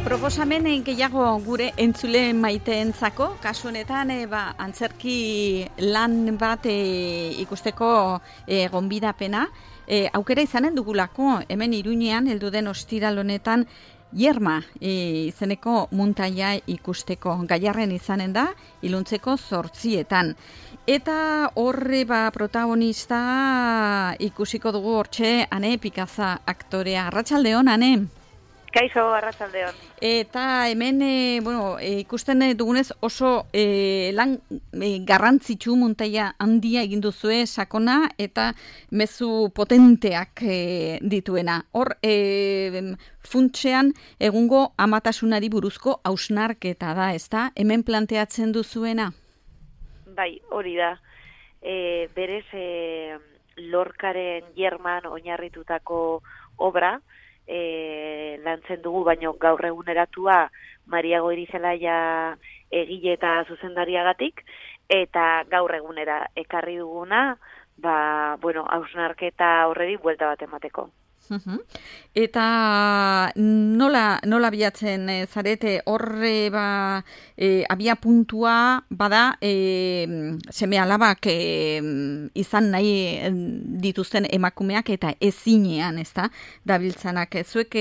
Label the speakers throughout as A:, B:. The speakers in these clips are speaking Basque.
A: Proposamen gehiago gure entzule maiteentzako, kasu honetan antzerki lan bat ikusteko gonbidapena. Aukera izanen dugulako, hemen Iruñean, heldu den ostiral honetan, Yerma izeneko muntaia ikusteko. Gaiarren izanen da, iluntzeko 8:00. Eta horre protagonista ikusiko dugu hortxe Ane Pikaza aktorea. Arratsaldeon, Ane.
B: Kaixo, arratsaldeon.
A: Eta hemen ikusten dugunez oso lan garrantzitsu muntaia handia egin duzue, sakona eta mezu potenteak dituena. Hor funtsean egungo amatasunari buruzko hausnarketa da, ezta? Hemen planteatzen duzuena?
B: Bai, hori da. Berez Lorcaren Yerman oinarritutako obra lantzen dugu, baino gaur eguneratua Maria Goirizelaia egile eta zuzendariagatik, eta gaur egunera ekarri duguna, hausnarketa horreri buelta bat emateko.
A: Eta nola bilatzen zarete horre abia puntua bada seme alabak izan nahi dituzten emakumeak eta ezinean, ezta, dabiltzanak. Zuek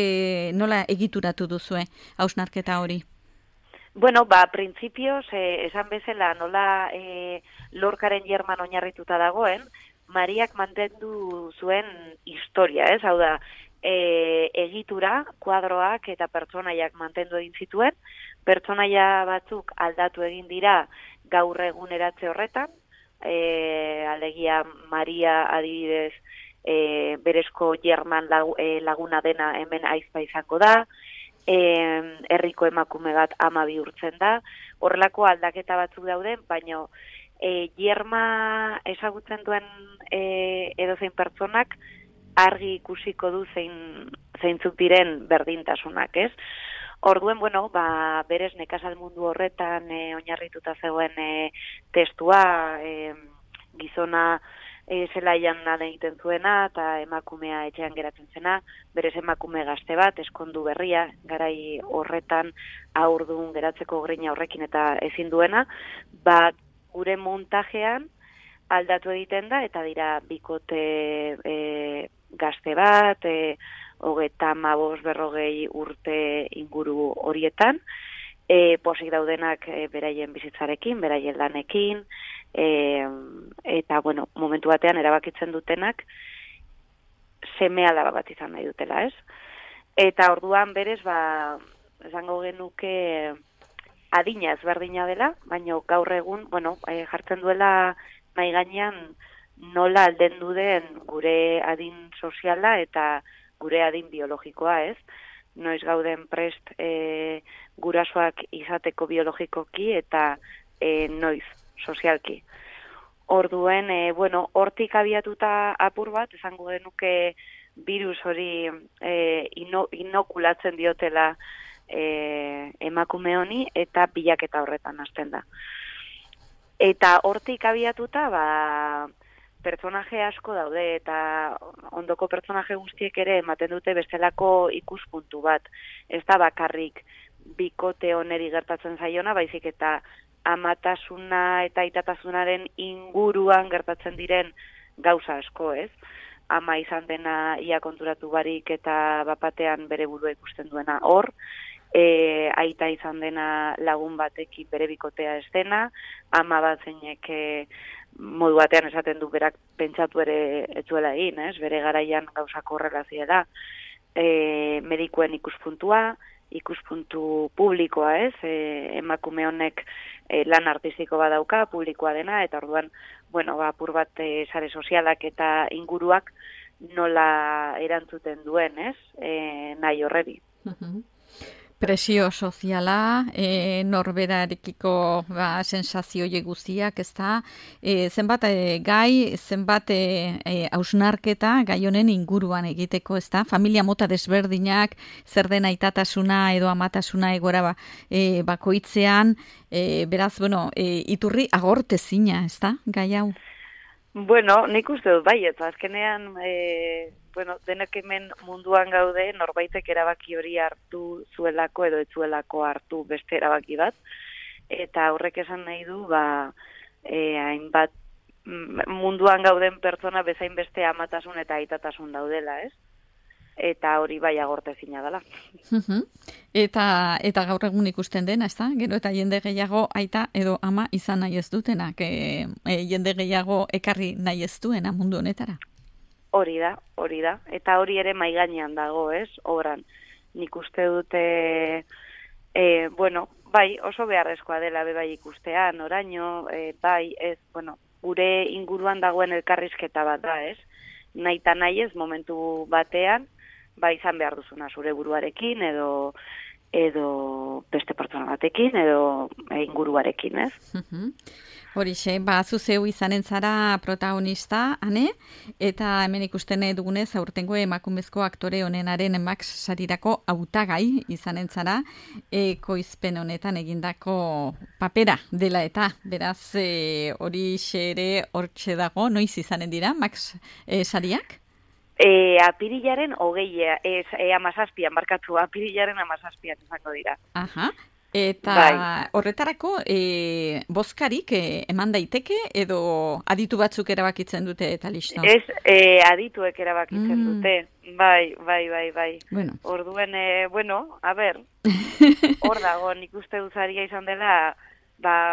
A: nola egituratu duzue hausnarketa hori?
B: Printzipioz, esan bezala nola Lorcaren Yerman oinarrituta dagoen, Mariak mantendu zuen historia, ez? Hau da, egitura, kuadroak eta pertsonaiak mantendu egin zituen, pertsonaia batzuk aldatu egin dira gaur eguneratze horretan, alegia Maria adibidez berezko Yerman laguna dena hemen aizpa izango da, herriko emakume bat ama bihurtzen da, horrelako aldaketa batzuk dauden, baina Yerma ezagutzen duen edozein pertsonak argi ikusiko du zeintzuk diren berdintasunak, ez? Orduen, berez nekazal mundu horretan oinarrituta zegoen testua, gizona zelaian lan egiten zuena eta emakumea etxean geratzen zena, berez emakume gazte bat, eskondu berria, garai horretan haurdun geratzeko grina horrekin eta ezin duena, gure montajean aldatu egiten da, eta dira bikote gazte bat, 35-40 urte inguru horietan, posik daudenak beraien bizitzarekin, beraien lanekin, eta momentu batean erabakitzen dutenak seme alaba bat izan nahi dutela, ez? Eta orduan berez, esango genuke adina ezberdina dela, baina gaur egun, jartzen duela mahai gainean nola aldendu den gure adin soziala eta gure adin biologikoa, ez? Noiz gauden prest gurasoak izateko biologikoki eta noiz sozialki. Orduen, hortik abiatuta apur bat, esango genuke virus hori inokulatzen diotela emakume honi eta bilaketa horretan hasten da. Eta hortik abiatuta, pertsonaje asko daude eta ondoko pertsonaje guztiek ere ematen dute bestelako ikuspuntu bat. Ez da bakarrik bikote oneri gertatzen zaiona, baizik eta amatasuna eta aitatasunaren inguruan gertatzen diren gauza asko, ez? Ama izan dena ia konturatu barik eta bapatean bere burua ikusten duena hor, aita izan dena lagun batekin bere bikotea ez dena, ama bat zeinek modu batean esaten du berak pentsatu ere ez duela egin, ez? Bere garaian gauzako horrela ziela, medikuen ikuspuntu publikoa, ez? Emakume honek lan artistiko badauka, publikoa dena, eta orduan, apur bat sare sozialak eta inguruak nola erantzuten duen, ez? Nahi horreri.
A: Presio soziala, norberarekiko sensazio guztiak, ez da, zenbat gai, zenbat hausnarketa gai honen inguruan egiteko, ez da, familia mota desberdinak, zer den aitatasuna edo amatasuna egora bakoitzean, beraz, iturri agortezina, ez da, gai hau?
B: Bueno, nik uste dut bai, eta azkenean, denek hemen munduan gaude, norbaitek erabaki hori hartu zuelako edo ez zuelako hartu beste erabaki bat, eta horrek esan nahi du, hainbat munduan gauden pertsona bezain beste amatasun eta aitatasun daudela, ez? Eta hori bai agortezina dela.
A: Eta gaur egun ikusten dena, ezta? Gero eta jende gehiago aita edo ama izan nahi ez dutenak, jende gehiago ekarri nahi ez duena mundu honetara.
B: Hori da. Eta hori ere mai gainean dago, ez? Obran. Nik uste dute, bai, oso beharrezkoa dela bai ikustea, noraino, bai, ez, gure inguruan dagoen elkarrizketa bat da, ez? Nahi eta nahi ez momentu batean, bai izan behar duzuna zure buruarekin, edo beste pertsona batekin, edo inguruarekin, ez?
A: Horixe, zu zeu izanen zara protagonista, Ane, eta hemen ikusten dugunez aurtengo emakumezko aktore onenaren Max sarirako hautagai izanen zara, ekoizpen honetan egindako papera dela eta, beraz, horixe ere hortxe dago, noiz izanen dira, Max sariak?
B: Apirilaren 17an, barkatu, apirilaren 17an izango dira.
A: Aha. Eta horretarako bozkarik eman daiteke edo aditu batzuk erabakitzen dute eta listo?
B: Ez, adituek erabakitzen dute. Bai.
A: Bueno.
B: Orduen, a ber, hor dago, nik uste duzaria izan dela,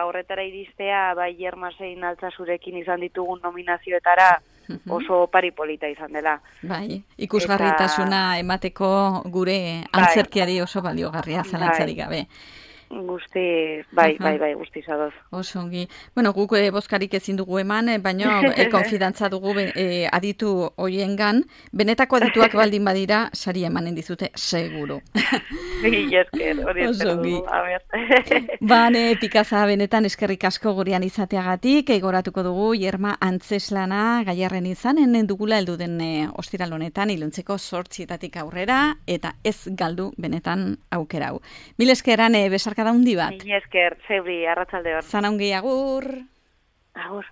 B: horretara iristea, bai Jermasein Altsasurekin izan ditugun nominazioetara, oso paripolita izan dela.
A: Bai, ikusgarritasuna emateko gure antzerkiari oso baliogarria zalantzarik gabe.
B: Guzti, bai, guzti zadoz.
A: Oso ongi. Bueno, guk bozkarik ezin dugu eman, baina konfidantza dugu aditu hoiengan. Benetako adituak baldin badira, sari emanen dizute, seguru.
B: Esker, hori espero dugu.
A: Bane, Pikaza, benetan eskerrik asko gurean izateagatik, egoratuko dugu, Jerma Antzeslana gaiarren izanen dugula heldu den ostiral honetan, iluntzeko 8 aurrera, eta ez galdu benetan aukera hau. Mil eskeran, besarka da hundi bat.
B: Mil esker, zeuri, arratsaldeon.
A: Zana ongi, agur.
B: Agur.